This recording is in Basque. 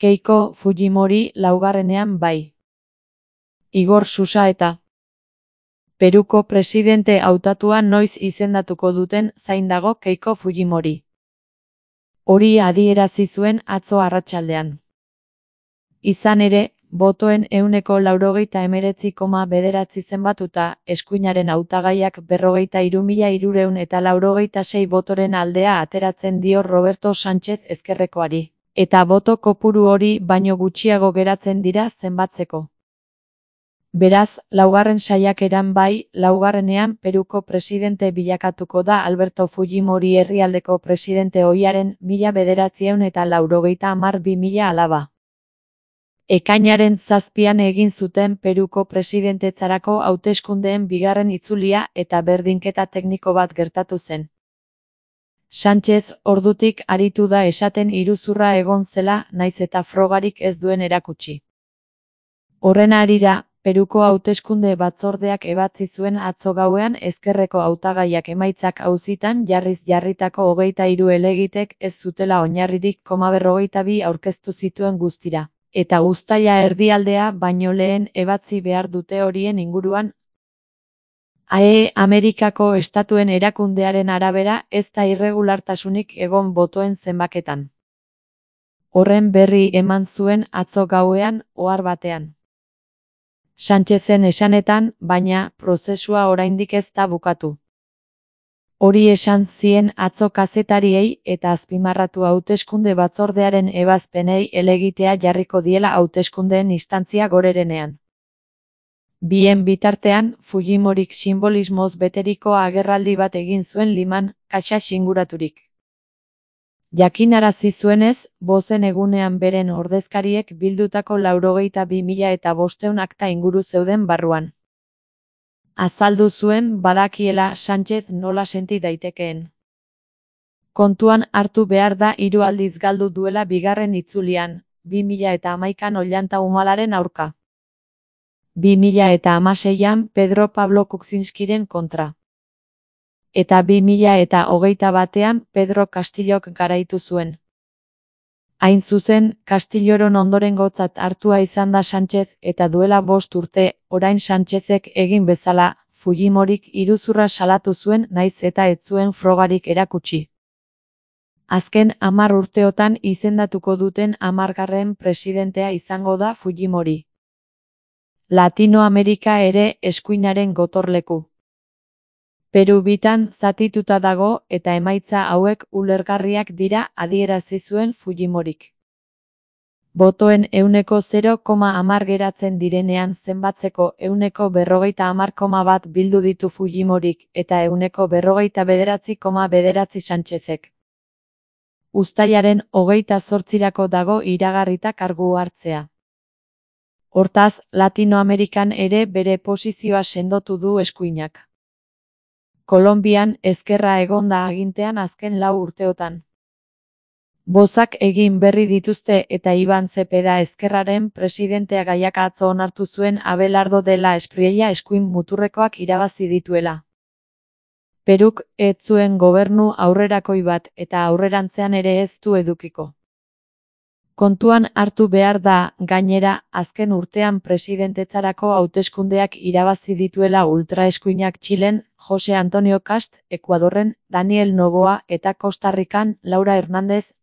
Keiko Fujimori laugarrenean bai. Igor Susaeta. Peruko presidente hautatua noiz izendatuko duten zain dago Keiko Fujimori. Hori adierazi zuen atzo arratsaldean. Izan ere, botoen 99,9 zenbatuta, eskuinaren hautagaiak 43.396 botoren aldea ateratzen dio Roberto Sánchez Ezkerrekoari, eta boto kopuru hori baino gutxiago geratzen dira zenbatzeko. Beraz, laugarren saiakeran bai, laugarrenean Peruko presidente bilakatuko da Alberto Fujimori herrialdeko presidente ohiaren 1990-2010 alaba. Ekainaren 7an egin zuten Peruko presidentetzarako hauteskundeen bigarren itzulia eta berdinketa tekniko bat gertatu zen. Sánchez ordutik aritu da esaten iruzurra egon zela nahiz eta frogarik ez duen erakutsi. Horren harira, Peruko hauteskunde batzordeak ebatzi zuen atzo gauean ezkerreko hautagaiak emaitzak auzitan jarriz jarritako 23 helegitek ez zutela oinarririk, 42 aurkeztu zituen guztira, eta uztaila erdialdea baino lehen ebatzi behar dute horien inguruan. Amerikako estatuen erakundearen arabera ez da irregulartasunik egon botoen zenbaketan. Horren berri eman zuen atzo gauean ohar batean. Sánchezen esanetan, baina, prozesua oraindik ez da bukatu. Hori esan zien atzo kazetariei eta azpimarratu hauteskunde batzordearen ebazpenei helegitea jarriko diela hauteskundeen instantzia gorerenean. Bien bitartean, Fujimorik sinbolismoz beteriko agerraldi bat egin zuen Liman, kaxa inguraturik. Jakinarazi zuenez, bozen egunean beren ordezkariek bildutako 92.500 akta inguru zeuden barruan. Azaldu zuen badakiela Sánchez nola senti daitekeen. Kontuan hartu behar da 3 aldiz galdu duela bigarren itzulian, 2011an Ollanta Humalaren aurka. 2016an Pedro Pablo Kuczynskiren kontra. Eta 2021an Pedro Castillok garaitu zuen. Hain zuzen, Castilloron ondorengotzat hartua izan da Sánchez eta duela 5 urte, orain Sánchezek egin bezala, Fujimorik iruzurra salatu zuen nahiz eta ez zuen frogarik erakutsi. Azken 10 urteotan izendatuko duten 10. presidentea izango da Fujimori. Latinoamerika ere eskuinaren gotorleku. Peru bitan zatituta dago eta emaitza hauek ulergarriak dira adierazi zuen Fujimorik. Botoen 0,10 geratzen direnean zenbatzeko 50,1 bildu ditu Fujimorik eta 49,9 Sánchezek. Uztailaren 28rako dago iragarrita kargu hartzea. Hortaz, Latinoamerikan ere bere posizioa sendotu du eskuinak. Kolonbian ezkerra egon da agintean azken 4 urteotan. Bozak egin berri dituzte eta Iban Zepeda ezkerraren presidentea gaiak atzo onartu zuen Abelardo de la Espriella eskuin muturrekoak irabazi dituela. Peruk ez zuen gobernu aurrerakoi bat eta aurrerantzean ere ez du edukiko. Kontuan hartu behar da, gainera, azken urtean presidentetzarako hauteskundeak irabazi dituela ultraeskuinak Txilen, Jose Antonio Kast, Ekuadorren, Daniel Noboa eta Costa Rican, Laura Hernández,